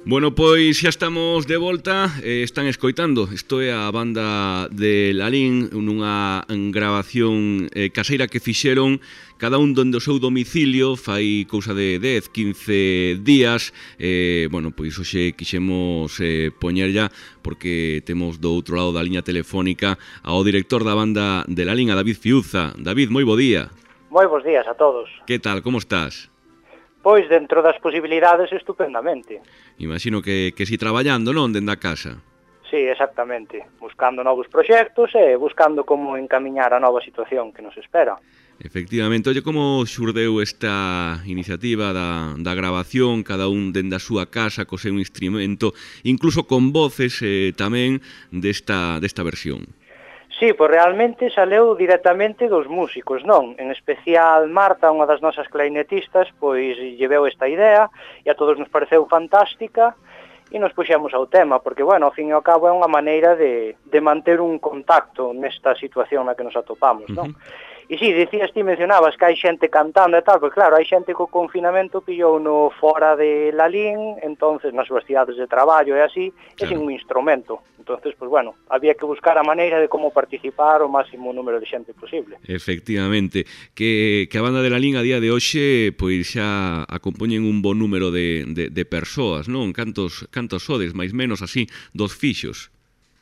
Bueno, pois xa estamos de volta, están escoitando. Isto é a banda de Lalín, nunha grabación caseira que fixeron cada un donde o seu domicilio, fai cousa de 10, 15 días. Bueno, pois hoxe quixemos poñerlla porque temos do outro lado da liña telefónica ao director da banda de Lalín, a David Fiuza. David, moi bo día. Moi bons días a todos. Que tal, como estás? Pois, dentro das posibilidades, estupendamente. Imagino que si traballando, non, dende a casa? Sí, exactamente. Buscando novos proxectos e buscando como encamiñar a nova situación que nos espera. Efectivamente. Oye, como xurdeu esta iniciativa da grabación, cada un dende a súa casa, co seu instrumento, incluso con voces tamén desta versión? Sí, pois realmente saleu directamente dos músicos, non? En especial Marta, unha das nosas clarinetistas, pois lleveu esta idea e a todos nos pareceu fantástica e nos puxemos ao tema, porque, bueno, ao fin e ao cabo é unha maneira de manter un contacto nesta situación na que nos atopamos, non? E si, dicías ti, mencionabas que hai xente cantando e tal, pois claro, hai xente co confinamento pillou no fora de Lalín, entonces nas súas cidades de traballo e así, claro, e sin un instrumento. Entonces, pois bueno, había que buscar a maneira de como participar o máximo número de xente posible. Efectivamente, que a banda de Lalín a día de hoxe pois xa acompoñen un bon número de persoas, non? Cantos sodes, máis menos así, dos fixos?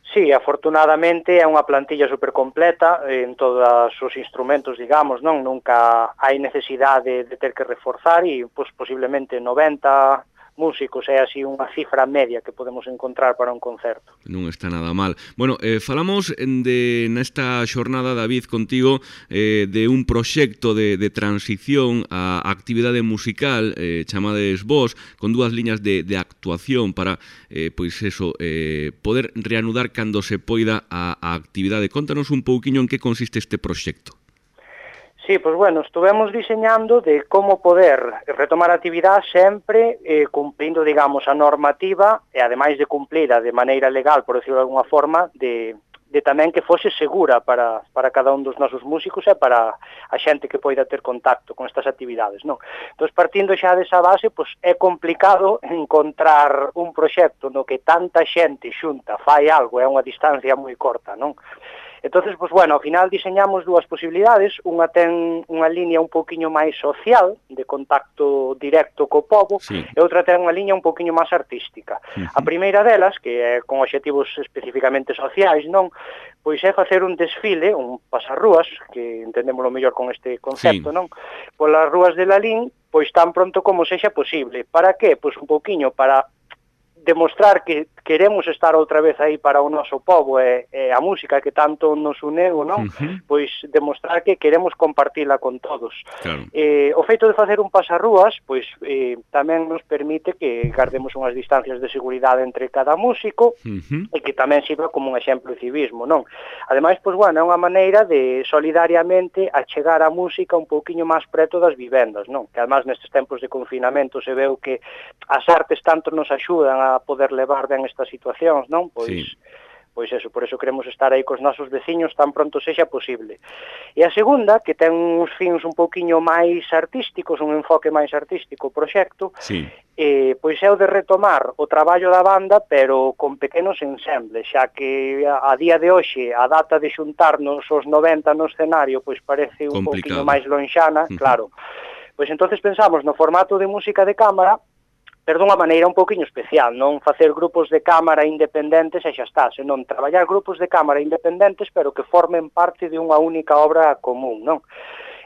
Sí, afortunadamente é unha plantilla super completa en todos os instrumentos, digamos, non? Nunca hai necesidade de ter que reforzar e, pois, posiblemente 90 músicos é así unha cifra media que podemos encontrar para un concerto. Non está nada mal. Bueno, falamos nesta xornada, David, contigo, de un proxecto de transición á actividade musical, chamades vos, con dúas liñas de actuación para, pois eso, poder reanudar cando se poida a actividade. Contanos un pouquiño en que consiste este proxecto. Sí, pois bueno, estuvemos diseñando de como poder retomar a actividade sempre cumprindo, digamos, a normativa e ademais de cumplida de maneira legal, por decirlo de alguna forma, de tamén que fose segura para cada un dos nosos músicos e para a xente que poida ter contacto con estas actividades, non? Entón, partindo xa desa base, pois é complicado encontrar un proxecto no que tanta xente xunta fai algo, é unha distancia moi corta, non? Entonces, pois, bueno, ao final diseñamos dúas posibilidades, unha ten unha liña un pouquiño máis social, de contacto directo co pobo, sí, e outra ten unha liña un pouquiño máis artística. A primeira delas, que é con obxectivos especificamente sociais, non? Pois é facer un desfile, un pasarrúas, que entendémoslo mellor con este concepto, sí, non? Polas rúas de Lalín, pois tan pronto como sexa posible. Para que? Pois un pouquiño para demostrar que queremos estar outra vez aí para o noso pobo e a música que tanto nos uneu, non? Pois demostrar que queremos compartila con todos. Claro. O feito de facer un pasarrúas, pois tamén nos permite que guardemos unhas distancias de seguridade entre cada músico e que tamén sirva como un exemplo de civismo, non? Ademais, pois, bueno, é unha maneira de solidariamente achegar a música un pouquiño máis preto das vivendas, non? Que además nestes tempos de confinamento se veu que as artes tanto nos axudan a poder levar ben estas situacións, non? Pois, sí, pois eso, por eso queremos estar aí cos nosos veciños tan pronto sexa posible. E a segunda, que ten uns fins un pouquiño máis artísticos, un enfoque máis artístico o proxecto, sí, pois é o de retomar o traballo da banda, pero con pequenos ensembles, xa que a día de hoxe a data de xuntarnos os 90 no escenario pois parece un pouquiño máis lonxana, claro. Pois entonces pensamos no formato de música de cámara, pero dunha maneira un pouquiño especial, non facer grupos de cámara independentes e xa está, senón traballar grupos de cámara independentes pero que formen parte de unha única obra común, non?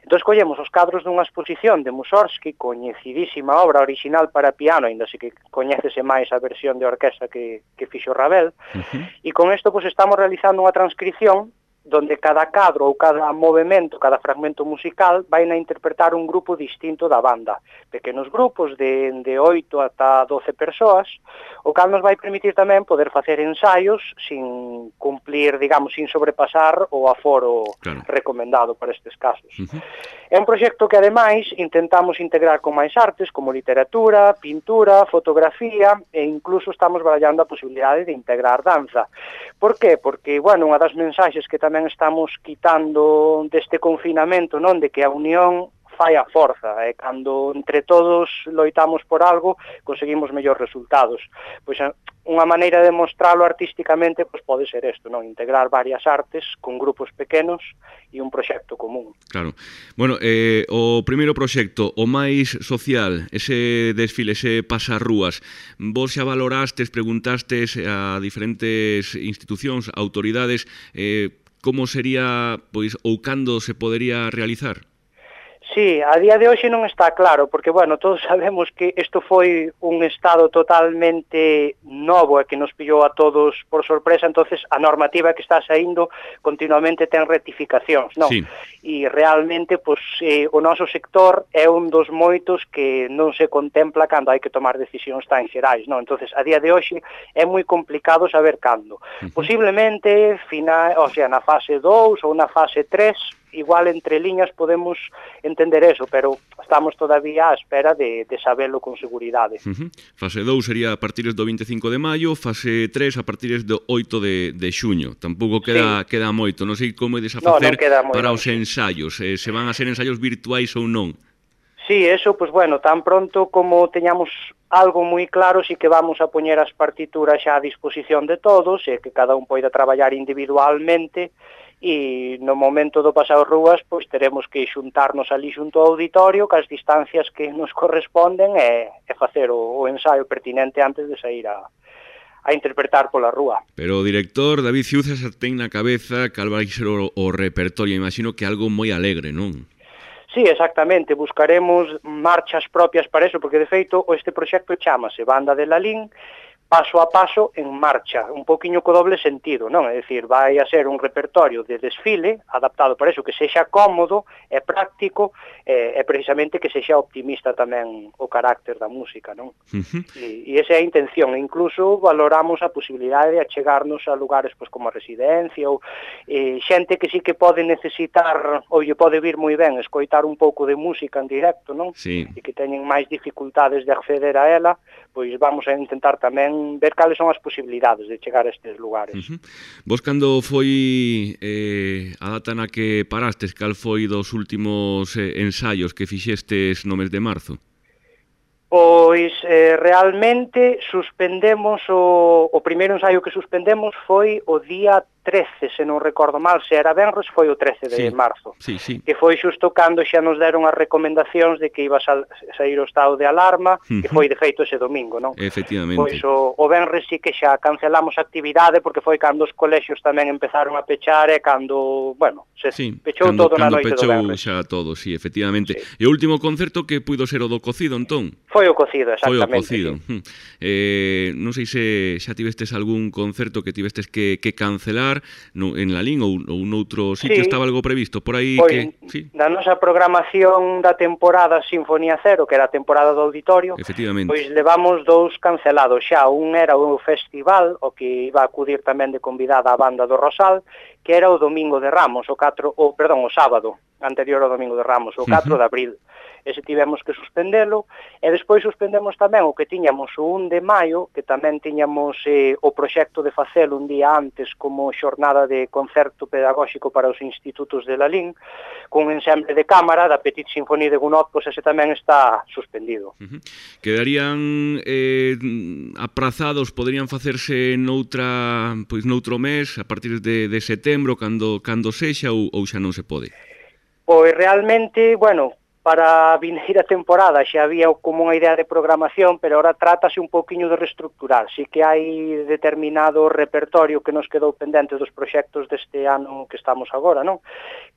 Entón, collemos os cadros dunha exposición de Mussorgsky, coñecidísima obra original para piano, ainda se que coñécese máis a versión de orquestra que fixo Ravel, e con isto pois estamos realizando unha transcripción donde cada cadro ou cada movimento, cada fragmento musical vai a interpretar un grupo distinto da banda. Pequenos grupos de 8 ata 12 persoas, o cal nos vai permitir tamén poder facer ensaios sin cumplir, digamos, sin sobrepasar o aforo recomendado para estes casos. É un proxecto que, ademais, intentamos integrar con máis artes, como literatura, pintura, fotografía, e incluso estamos barallando a posibilidade de integrar danza. Por qué? Porque, bueno, unha das mensaxes que tamén estamos quitando deste confinamento, non, de que a unión fai a forza, e cando entre todos loitamos por algo, conseguimos mellores resultados. Pois unha maneira de mostralo artísticamente pois pode ser isto, non? Integrar varias artes con grupos pequenos e un proxecto común. Claro. Bueno, o primeiro proxecto, o máis social, ese desfile, ese pasarrúas, vos xa valorastes, preguntastes a diferentes institucións, autoridades, como sería, pois, ou cando se podería realizar? Sí, a día de hoxe non está claro, porque, bueno, todos sabemos que isto foi un estado totalmente novo e que nos pillou a todos por sorpresa, entonces a normativa que está saindo continuamente ten rectificacións, non? Sí. E realmente, pois, o noso sector é un dos moitos que non se contempla cando hai que tomar decisións tan xerais, non? Entonces, a día de hoxe é moi complicado saber cando. Posiblemente, na fase 2 ou na fase 3, igual entre liñas podemos entender eso, pero estamos todavía á espera de sabelo con seguridade. Fase 2 sería a partir do 25 de maio, fase 3 a partir do 8 de xuño. Tampouco queda moito, non sei como ides a facer para os ensaios, se van a ser ensaios virtuais ou non. Sí, eso, pues bueno, tan pronto como teñamos algo moi claro, sí que vamos a poñer as partituras xa a disposición de todos, e que cada un poida traballar individualmente, e no momento do pasado rúas, pois teremos que xuntarnos ali xunto ao auditorio, cas distancias que nos corresponden, e facer o ensaio pertinente antes de sair a interpretar pola rúa. Pero o director David Ciuza xa ten na cabeza cal vai ser o repertorio, imagino que algo moi alegre, non? Sí, exactamente, buscaremos marchas propias para eso, porque de feito este proxecto chamase Banda de Lalín, paso a paso en marcha, un poquinho co doble sentido, non? É dicir, vai a ser un repertorio de desfile adaptado para eso, que sexa cómodo e práctico, e precisamente que sexa optimista tamén o carácter da música, non? E esa é a intención, e incluso valoramos a posibilidade de achegarnos a lugares pois, como a residencia ou xente que sí que pode necesitar ou lle pode vir moi ben escoitar un pouco de música en directo, non? Sí. E que teñen máis dificultades de acceder a ela, pois vamos a intentar tamén ver cales son as posibilidades de chegar a estes lugares. Vos cando foi a data na que parastes, cal foi dos últimos ensaios que fixestes no mes de marzo? Pois realmente suspendemos o primeiro ensaio que suspendemos foi o día 13, se non recordo mal, se era venres foi o 13 de marzo, que foi xusto cando xa nos deron as recomendacións de que iba a sair o estado de alarma, que foi de feito ese domingo, non? Efectivamente. Pois o venres sí que xa cancelamos a actividade porque foi cando os colexios tamén empezaron a pechar e cando, bueno, se pechou todo na noite do venres. Xa todo, sí, efectivamente. E o último concerto que puido ser o do Cocido, entón? Foi o Cocido, exactamente. Foi o Cocido. Non sei se xa tivestes algún concerto que tivestes que cancelar en Lalín ou noutro sitio, estaba algo previsto por aí que... Na nosa programación da temporada Sinfonía Cero, que era a temporada do auditorio, pois levamos 2 cancelados xa. Un era o festival, o que iba a acudir tamén de convidada a banda do Rosal, que era o Domingo de Ramos, o sábado anterior ao Domingo de Ramos, o 4 de abril. Ese tivemos que suspendelo, e despois suspendemos tamén o que tiñamos o 1 de maio, que tamén tiñamos o proxecto de facelo un día antes como xornada de concerto pedagóxico para os institutos de Lalín, con ensemble de cámara da Petite Sinfonie de Gounod, pois ese tamén está suspendido. Quedarían aprazados, poderían facerse noutro mes, a partir de setembro, cando sexa, ou xa non se pode? Pois realmente, bueno, para a vindeira temporada xa había como unha idea de programación, pero ahora trátase un poquinho de reestructurar. Si que hai determinado repertorio que nos quedou pendente dos proxectos deste ano que estamos agora, non?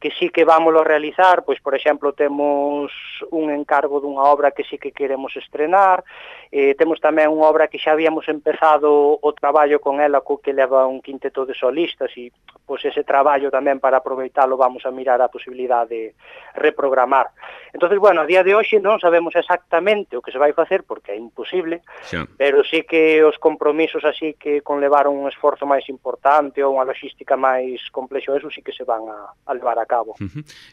Que sí que vámoslo realizar, pois, por exemplo, temos un encargo dunha obra que sí que queremos estrenar, temos tamén unha obra que xa habíamos empezado o traballo con ela, co que leva un quinteto de solistas, e pois ese traballo tamén para aproveitalo vamos a mirar a posibilidade de reprogramar. Entonces, bueno, a día de hoxe non sabemos exactamente o que se vai facer porque é imposible, pero sí que os compromisos así que conlevaron un esforzo máis importante ou unha logística máis complexo, eso sí que se van a levar a cabo.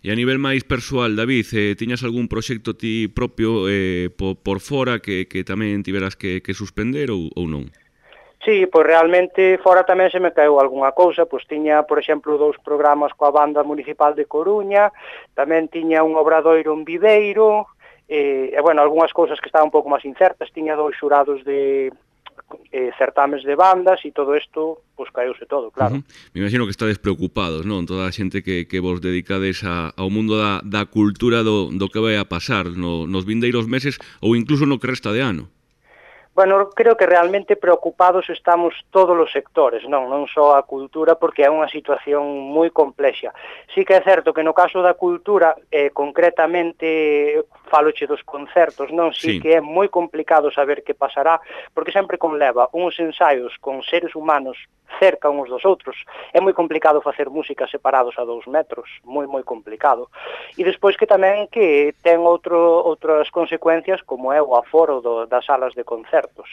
E a nivel máis persoal, David, tiñas algún proxecto ti propio por fora que tamén tiveras que suspender ou non? Sí, pois realmente fora tamén se me caeu algunha cousa, pois tiña, por exemplo, 2 programas coa banda municipal de Coruña, tamén tiña un obradoiro en Viveiro, bueno, algunhas cousas que estaban un pouco máis incertas, tiña 2 xurados de certames de bandas e todo isto, pois caeuse todo, claro. Me imagino que estades preocupados, non? Toda a xente que vos dedicades ao mundo da cultura do que vai a pasar nos vindeiros meses ou incluso no que resta de ano. Bueno, creo que realmente preocupados estamos todos os sectores, non só a cultura, porque é unha situación moi complexa. Sí que é certo que no caso da cultura, concretamente, faloche dos concertos, non? Sí que é moi complicado saber que pasará, porque sempre conleva uns ensaios con seres humanos cerca uns dos outros. É moi complicado facer música separados a 2 metros, moi complicado. E despois que tamén que ten outras consecuencias, como é o aforo das salas de concertos,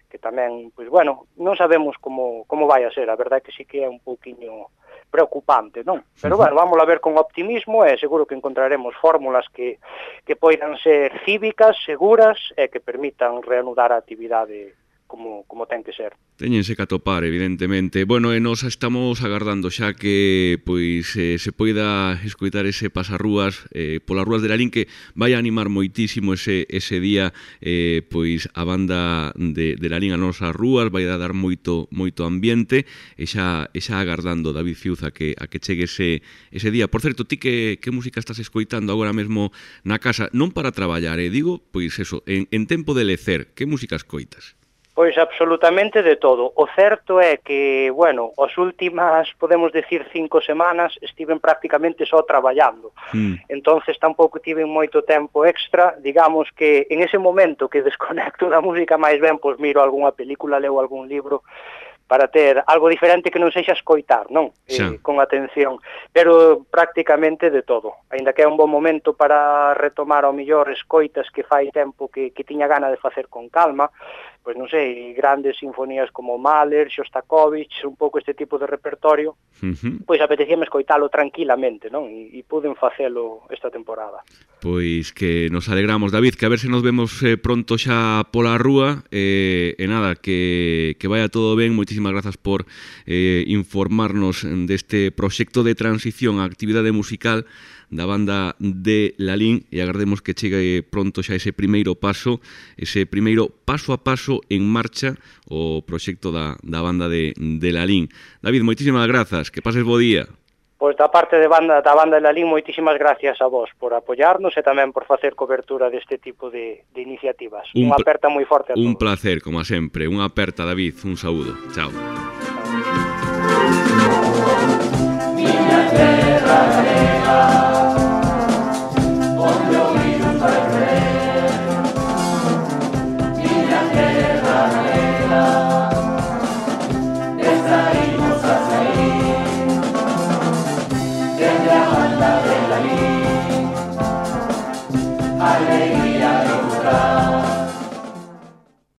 que tamén, pois bueno, non sabemos como vai a ser, a verdade que sí que é un pouquiño preocupante, non? Pero bueno, vamos a ver con optimismo e seguro que encontraremos fórmulas que poidan ser cívicas, seguras e que permitan reanudar a actividade como ten que ser. Téñense que atopar, evidentemente. Bueno, e nos estamos agardando xa que pois se poida escoitar ese pasarrúas polas rúas de Lalín, que vai a animar moitísimo ese día pois a banda de Lalín a nosas rúas, vai a dar moito ambiente, e xa agardando, David Fiuz, a que chegue ese día. Por certo, ti que música estás escoitando agora mesmo na casa? Non para traballar, digo, pois eso, en tempo de lecer, que música escoitas? Pois absolutamente de todo. O certo é que, bueno, as últimas, podemos decir, 5 semanas estiven prácticamente só traballando. Entonces tampouco tiven moito tempo extra, digamos que en ese momento que desconecto da música máis ben, pois miro algunha película, leo algún libro, para ter algo diferente que non sexa escoitar, non? Con atención, pero prácticamente de todo. Aínda que é un bon momento para retomar ao mellor escoitas que fai tempo que tiña gana de facer con calma, pois non sei, grandes sinfonías como Mahler, Shostakovich, un pouco este tipo de repertorio, pois apetecíame escoitalo tranquilamente, non? E puden facelo esta temporada. Pois que nos alegramos, David, que a ver se nos vemos pronto xa pola rúa, e nada, que vaya todo ben. Moitísimas grazas por informarnos deste proxecto de transición á actividade musical da banda de Lalín, e agardemos que chegue pronto xa ese primeiro paso a paso en marcha o proxecto da banda de Lalín. David, moitísimas grazas, que pases bo día. Pois da parte da banda de Lalín, moitísimas gracias a vos por apoiarnos e tamén por facer cobertura deste tipo de iniciativas. Unha aperta moi forte a todos. Un placer, como sempre. Unha aperta, David. Un saúdo. Chao.